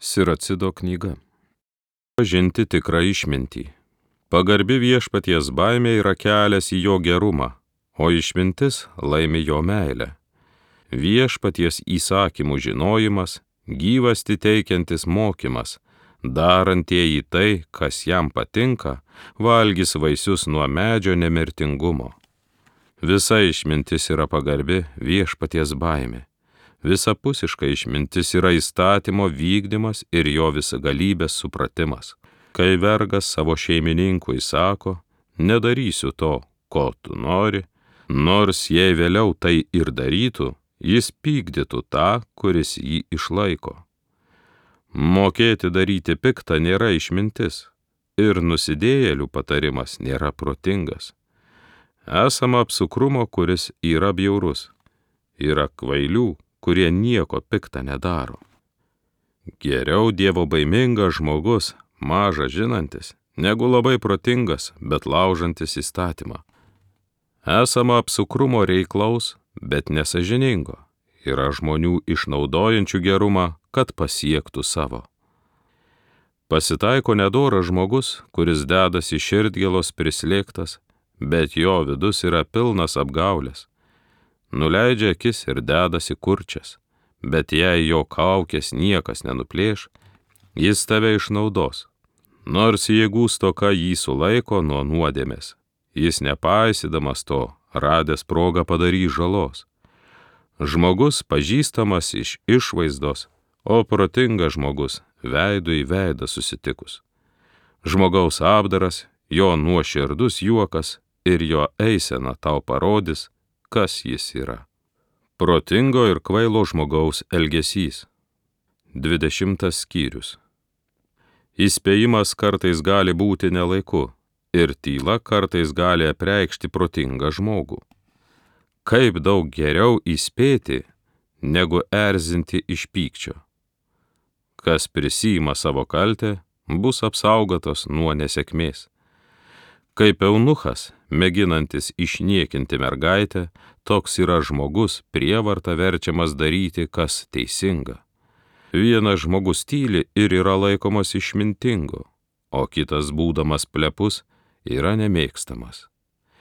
Siracido knyga. Pažinti tikrą išmintį. Pagarbi viešpaties baimė yra kelias į jo gerumą, o išmintis laimi jo meilę. Viešpaties įsakymų žinojimas, gyvasti teikiantis mokymas, darantieji tai, kas jam patinka, valgys vaisius nuo medžio nemirtingumo. Visa išmintis yra pagarbi viešpaties baimė. Visapusiška išmintis yra įstatymo vykdymas ir jo visagalybės supratimas. Kai vergas savo šeimininkui sako, nedarysiu to, ko tu nori, nors jei vėliau tai ir darytų, jis pykdytų tą, kuris jį išlaiko. Mokėti daryti piktą nėra išmintis, ir nusidėjėlių patarimas nėra protingas. Esama apsukrumo, kuris yra bjaurus, yra kvailių, kurie nieko piktą nedaro. Geriau dievo baimingas žmogus, maža žinantis, negu labai protingas, bet laužantis įstatymą. Esama apsukrumo reiklaus, bet nesažiningo. Yra žmonių išnaudojančių gerumą, kad pasiektų savo. Pasitaiko nedoras žmogus, kuris dedasi širdgėlos prislėgtas, bet jo vidus yra pilnas apgaulės. Nuleidžia akis ir dedasi kurčias, bet jei jo kaukės niekas nenuplėš, jis tave išnaudos. Nors jėgų stoka jį sulaiko nuo nuodėmės, jis nepaisydamas to, radęs progą padarys žalos. Žmogus pažįstamas iš išvaizdos, o protingas žmogus veidu į veidą susitikus. Žmogaus apdaras, jo nuoširdus juokas ir jo eisena tau parodys, kas jis yra. Protingo ir kvailo žmogaus elgesys. 20 skyrius. Įspėjimas kartais gali būti nelaiku, ir tyla kartais gali apreikšti protingą žmogų. Kaip daug geriau įspėti, negu erzinti iš pykčio. Kas prisiima savo kaltę, bus apsaugotas nuo nesėkmės. Kaip eunuchas, mėginantis išniekinti mergaitę, toks yra žmogus prievarta verčiamas daryti, kas teisinga. Vienas žmogus tyli ir yra laikomas išmintingu, o kitas, būdamas plepus, yra nemėgstamas.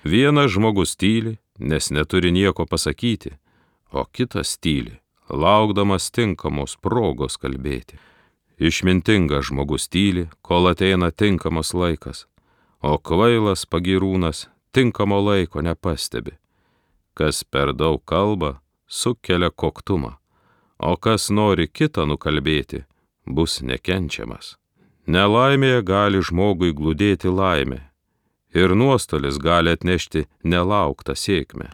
Vienas žmogus tyli, nes neturi nieko pasakyti, o kitas tyli, laukdamas tinkamos progos kalbėti. Išmintingas žmogus tyli, kol ateina tinkamas laikas, o kvailas pagyrūnas tinkamo laiko nepastebi. Kas per daug kalba, sukelia koktumą, o kas nori kitą nukalbėti, bus nekenčiamas. Nelaimėje gali žmogui glūdėti laimė, ir nuostolis gali atnešti nelauktą sėkmę.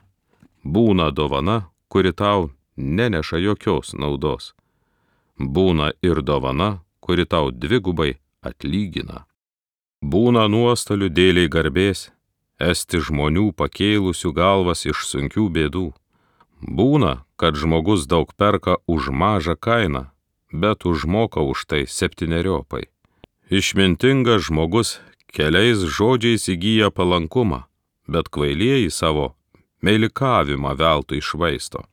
Būna dovana, kuri tau neneša jokios naudos. Būna ir dovana, kuri tau dvigubai atlygina. Būna nuostolių dėliai garbės, esti žmonių pakėlusių galvas iš sunkių bėdų. Būna, kad žmogus daug perka už mažą kainą, bet užmoka už tai 7-eriopai. Išmintingas žmogus keliais žodžiais įgyja palankumą, bet kvailieji savo meilikavimą veltui išvaisto.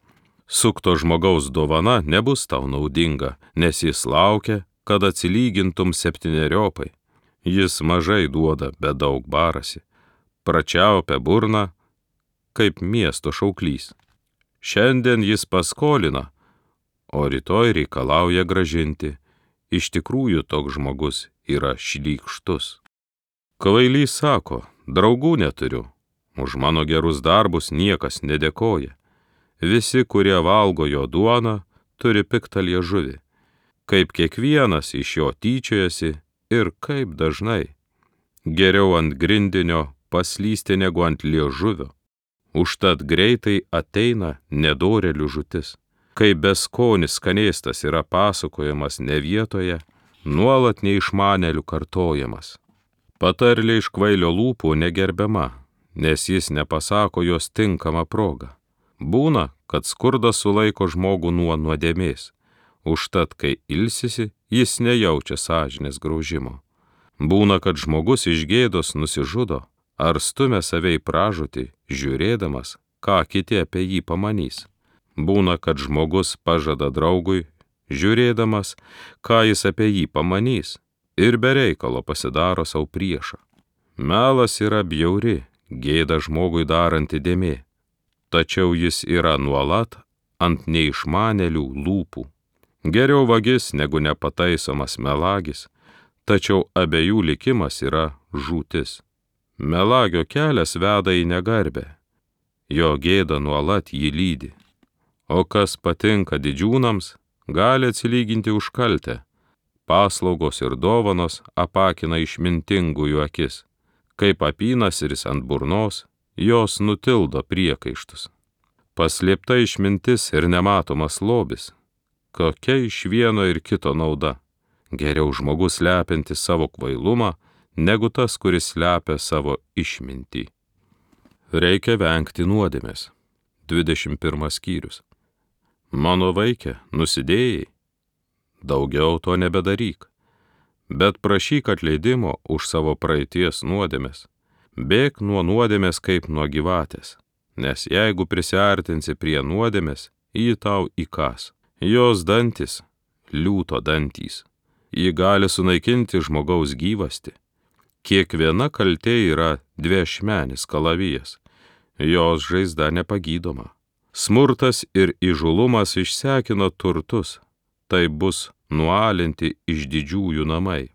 Sukto žmogaus dovana nebus tau naudinga, nes jis laukia, kad atsilygintum 7-eriopai. Jis mažai duoda, bet daug barasi. Pračiaupia burną, kaip miesto šauklys. Šiandien jis paskolina, o rytoj reikalauja grąžinti. Iš tikrųjų toks žmogus yra šlykštus. Kvailys sako, draugų neturiu, už mano gerus darbus niekas nedėkoja. Visi, kurie valgo jo duoną, turi piktą liežuvį. Kaip kiekvienas iš jo tyčiojasi, ir kaip dažnai. Geriau ant grindinio paslysti negu ant liežuvio. Užtat greitai ateina nedorėlių žūtis. Kai beskonis skanėstas yra pasakojamas ne vietoje, nuolat neišmanėlių kartojamas. Patarlė iš kvailio lūpų negerbiama, nes jis nepasako jos tinkamą progą. Būna, kad skurdas sulaiko žmogų nuo nuodėmės. Užtat, kai ilsisi, jis nejaučia sąžinės graužimo. Būna, kad žmogus iš gėdos nusižudo ar stumia save į pražūtį, žiūrėdamas, ką kiti apie jį pamanys. Būna, kad žmogus pažada draugui, žiūrėdamas, ką jis apie jį pamanys, ir be reikalo pasidaro savo priešą. Melas yra bjauri, gėda žmogui daranti dėmė, tačiau jis yra nuolat ant neišmanėlių lūpų. Geriau vagis negu nepataisomas melagis, tačiau abiejų likimas yra žūtis. Melagio kelias veda į negarbę, jo gėda nuolat jį lydi. O kas patinka didžiūnams, gali atsilyginti už kaltę. Paslaugos ir dovanos apakina išmintingųjų akis. Kaip apynasris ant burnos, jos nutildo priekaištus. Paslėpta išmintis ir nematomas lobis. Kokia iš vieno ir kito nauda? Geriau žmogus slepiantis savo kvailumą, negu tas, kuris slepia savo išmintį. Reikia vengti nuodėmės. 21 skyrius. Mano vaike, nusidėjai, daugiau to nebedaryk, bet prašyk atleidimo už savo praeities nuodėmės. Bėk nuo nuodėmės kaip nuo gyvatės, nes jeigu prisiartinsi prie nuodėmės, ji tau įkas. Jos dantis, liūto dantys, ji gali sunaikinti žmogaus gyvastį. Kiekviena kaltė yra dviašmenis kalavijas, jos žaizda nepagydoma. Smurtas ir įžulumas išsekino turtus, tai bus nualinti iš didžiųjų namai.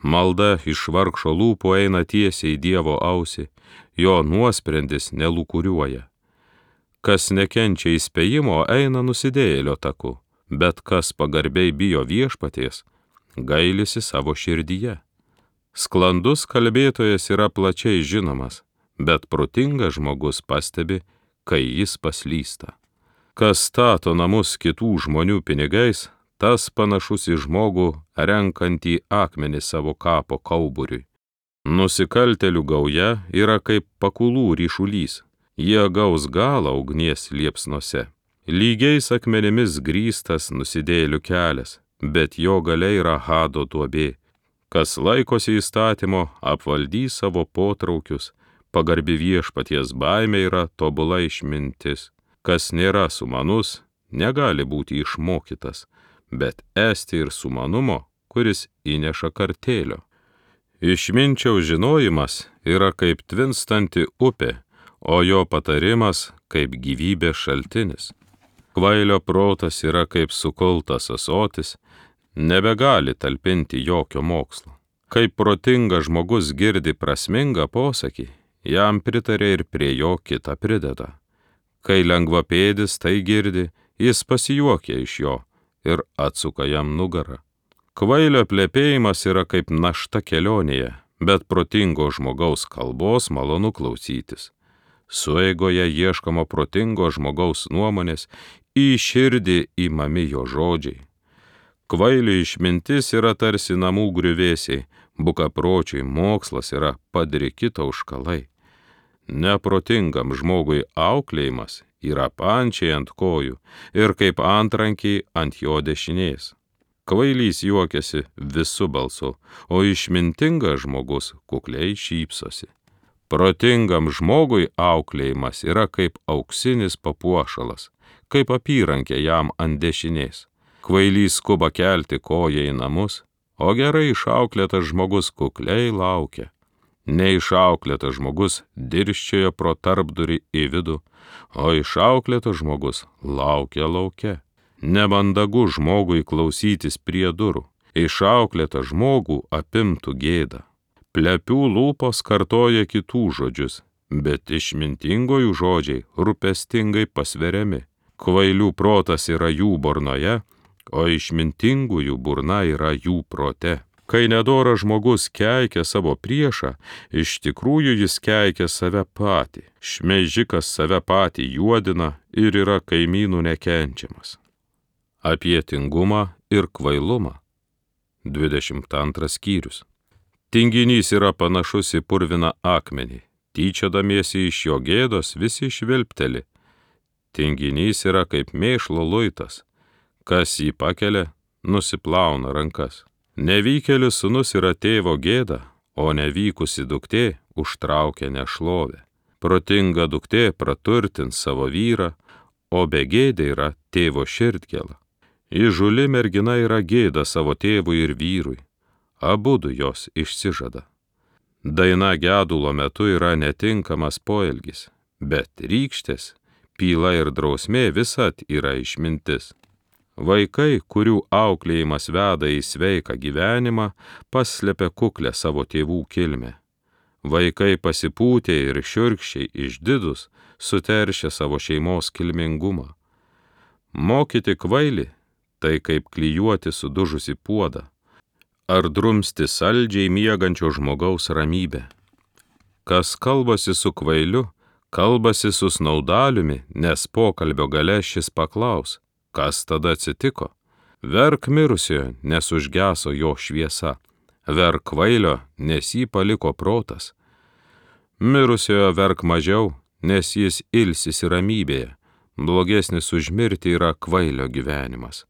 Malda iš vargšo lūpų eina tiesiai į Dievo ausį, jo nuosprendis nelūkuriuoja. Kas nekenčia įspėjimo, eina nusidėjėlio taku, bet kas pagarbiai bijo viešpaties, gailisi savo širdyje. Sklandus kalbėtojas yra plačiai žinomas, bet protingas žmogus pastebi, kai jis paslysta. Kas stato namus kitų žmonių pinigais, tas panašus į žmogų renkantį akmenį savo kapo kauburiui. Nusikaltėlių gauja yra kaip pakulų ryšulys, jie gaus galą ugnies liepsnose. Lygiais akmenimis grįstas nusidėjėlių kelias, bet jo gale yra hado duobė. Kas laikosi įstatymo, apvaldys savo potraukius, pagarbi viešpaties baimė yra tobula išmintis. Kas nėra sumanus, negali būti išmokytas, bet esti ir sumanumo, kuris įneša kartėlio. Išminčiaus žinojimas yra kaip tvinstanti upė, o jo patarimas kaip gyvybės šaltinis. Kvailio protas yra kaip sukultas ąsotis, nebegali talpinti jokio mokslo. Kaip protingas žmogus girdi prasmingą posakį, jam pritarė ir prie jo kitą prideda. Kai lengvapėdis tai girdi, jis pasijuokia iš jo ir atsuka jam nugarą. Kvailio plepėjimas yra kaip našta kelionėje, bet protingo žmogaus kalbos malonu klausytis. Sueigoje ieškoma protingo žmogaus nuomonės, į širdį įmami jo žodžiai. Kvailio išmintis yra tarsi namų griuvėsiai, bukapročiui mokslas yra padriki tauškalai. Neprotingam žmogui auklėjimas yra pančiai ant kojų ir kaip antrankiai ant jo dešinės. Kvailys juokiasi visu balsu, o išmintingas žmogus kukliai šypsosi. Protingam žmogui auklėjimas yra kaip auksinis papuošalas, kaip apyrankė jam ant dešinės. Kvailys skuba kelti koją į namus, o gerai išauklėtas žmogus kukliai laukia. Neišauklėtas žmogus dirsčioja pro tarpdurį į vidų, o išauklėtas žmogus laukia lauke. Nemandagu žmogui klausytis prie durų, išauklėtą žmogų apimtų gėda. Plepių lūpos kartoja kitų žodžius, bet išmintingojų žodžiai rūpestingai pasveriami. Kvailių protas yra jų burnoje, o išmintingųjų burna yra jų prote. Kai nedoras žmogus keikia savo priešą, iš tikrųjų jis keikia save patį. Šmeižikas save patį juodina ir yra kaimynų nekenčiamas. Apie tingumą ir kvailumą. 22 skyrius. Tinginys yra panašus į purviną akmenį. Tyčiodamiesi iš jo gėdos visi švilpteli. Tinginys yra kaip mėšlo luitas. Kas jį pakelia, nusiplauna rankas. Nevykėlis sūnus yra tėvo gėda, o nevykusi duktė užtraukia nešlovę. Protinga duktė praturtins savo vyrą, o begėdė yra tėvo širdgėla. Įžūli mergina yra gėda savo tėvui ir vyrui, abudu jos išsižada. Daina gedulo metu yra netinkamas poelgis, bet rykštės, pyla ir drausmė visad yra išmintis. Vaikai, kurių auklėjimas veda į sveiką gyvenimą, paslepia kuklę savo tėvų kilmę. Vaikai pasipūtę ir šiurkščiai išdidus suteršia savo šeimos kilmingumą. Mokyti kvailį — tai kaip klijuoti sudužusi puodą, ar drumsti saldžiai miegančio žmogaus ramybę. Kas kalbasi su kvailiu, kalbasi su snaudaliumi, nes pokalbio gale šis paklaus, kas tada atsitiko. Verk mirusiojo, nes užgeso jo šviesa, verk kvailio, nes jį paliko protas. Mirusiojo verk mažiau, nes jis ilsisi ramybėje, blogesnis už mirtį yra kvailio gyvenimas.